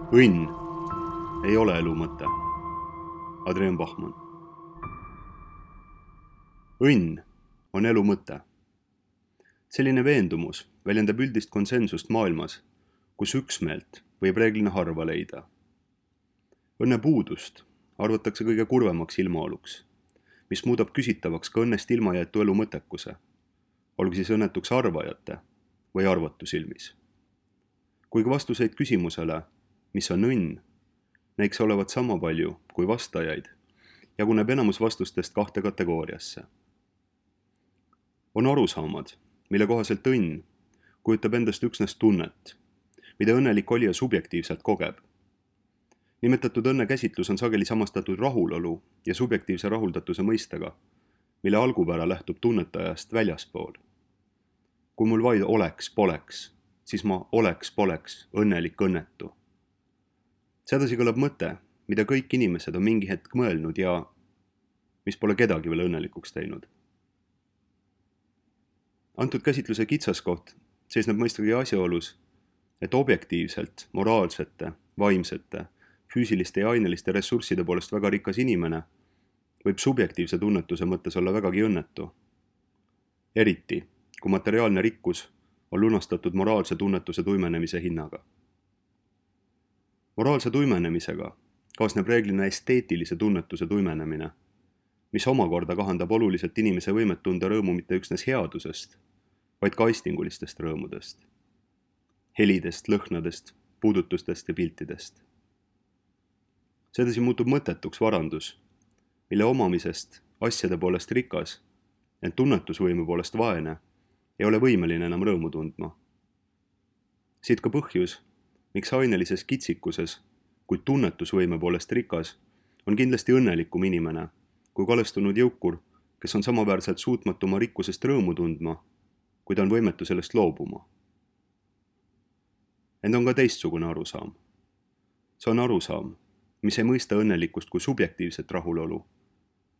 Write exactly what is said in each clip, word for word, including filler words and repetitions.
Õnn ei ole elu mõte. Adrian Bachmann. Õnn on elu mõte. Selline veendumus väljendab üldist konsensust maailmas, kus üksmeelt võib reeglina harva leida. Õnne puudust arvatakse kõige kurvemaks ilmaoluks, mis muudab küsitavaks ka õnnest ilmajäetu elu mõttekuse, olgu siis õnnetuks arvajate või arvatu silmis. Kuigi vastuseid küsimusele, mis on õnn, näiks olevat sama palju kui vastajaid, jaguneb enamus vastustest kahte kategooriasse. On arusaamad, mille kohaselt õnn kujutab endast üksnes tunnet, mida õnnelik olija subjektiivselt kogeb. Nimetatud õnne käsitlus on sageli samastatud rahulolu ja subjektiivse rahuldatuse mõistega, mille algupära lähtub tunnetajast väljaspool. Kui mul vaid oleks, poleks, siis ma oleks, poleks õnnelik õnnetu. Sedasi kõlab mõte, mida kõik inimesed on mingi hetk mõelnud ja mis pole kedagi veel õnnelikuks teinud. Antud käsitluse kitsaskoht seisneb mõistagi asjaolus, et objektiivselt, moraalsete, vaimsete, füüsiliste ja aineliste ressursside poolest väga rikas inimene võib subjektiivse tunnetuse mõttes olla vägagi õnnetu. Eriti, kui materiaalne rikkus on lunastatud moraalse tunnetuse tuimenemise hinnaga. Moraalse tuimenemisega kaasneb reeglina esteetilise tunnetuse tuimenemine, mis omakorda kahandab oluliselt inimese võimet tunda rõõmu mitte üksnes headusest, vaid ka aistingulistest rõõmudest, helidest, lõhnadest, puudutustest ja piltidest. Sedasi muutub mõttetuks varandus, mille omamisest asjade poolest rikas, ent tunnetusvõimu poolest vaene, ei ole võimeline enam rõõmu tundma. Siit ka põhjus, miks ainelises kitsikuses, kuid tunnetusvõime poolest rikas, on kindlasti õnnelikum inimene kui kalestunud jõukur, kes on samaväärselt suutmatu oma rikkusest rõõmu tundma, kuid on võimetu sellest loobuma. Ent on ka teistsugune arusaam. See on arusaam, mis ei mõista õnnelikkust kui subjektiivset rahulolu,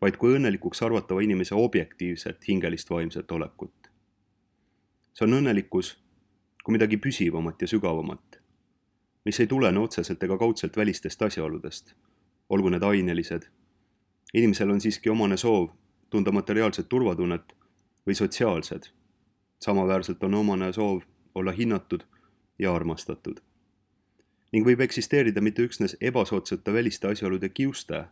vaid kui õnnelikuks arvatava inimese objektiivset hingelist vaimset olekut. See on õnnelikkus kui midagi püsivamat ja sügavamat, mis ei tulene otseselt ega kaudselt välistest asjaoludest, olgu need ainelised. Inimesel on siiski omane soov tunda materiaalset turvatunnet või sotsiaalsed. Samaväärselt on omane soov olla hinnatud ja armastatud. Ning võib eksisteerida mitte üksnes ebasoodsate väliste asjaolude kiuste,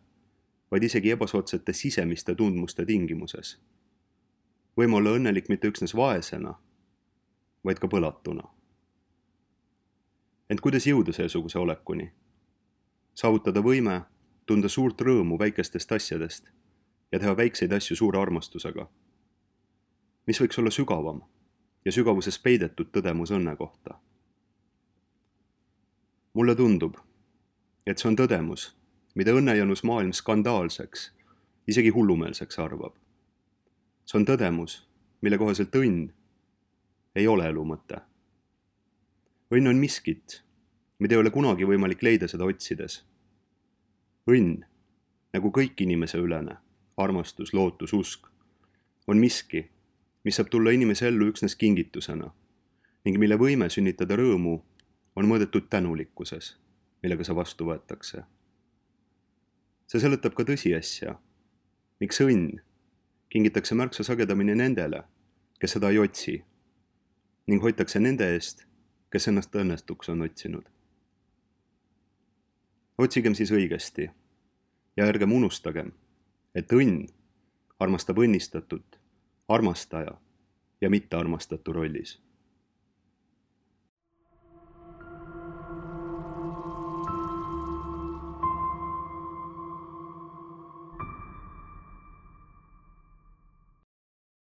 vaid isegi ebasoodsate sisemiste tundmuste tingimuses. Võime olla õnnelik mitte üksnes vaesena, vaid ka põlatuna. Ent kuidas jõuda seesuguse olekuni? Saavutada võime tunda suurt rõõmu väikestest asjadest ja teha väikseid asju suure armastusega. Mis võiks olla sügavam ja sügavuses peidetud tõdemus õnne kohta? Mulle tundub, et see on tõdemus, mida õnnejanus maailm skandaalseks, isegi hullumeelseks arvab. See on tõdemus, mille kohaselt õnn ei ole elu mõte. Õnn on miskit, mida ei ole kunagi võimalik leida seda otsides. Õnn, nagu kõik inimese ülene, armastus, lootus, usk, on miski, mis saab tulla inimese ellu üksnes kingitusena ning mille võime sünnitada rõõmu on mõõdetud tänulikkuses, millega see vastu võetakse. See seletab ka tõsiasja, miks õnn kingitakse märksa sagedamini nendele, kes seda ei otsi, ning hoitakse nende eest, kes ennast õnnestuks on otsinud. Otsigem siis õigesti ja ärgem unustagem, et õnn armastab õnnistatut, armastaja ja mitte armastatu rollis.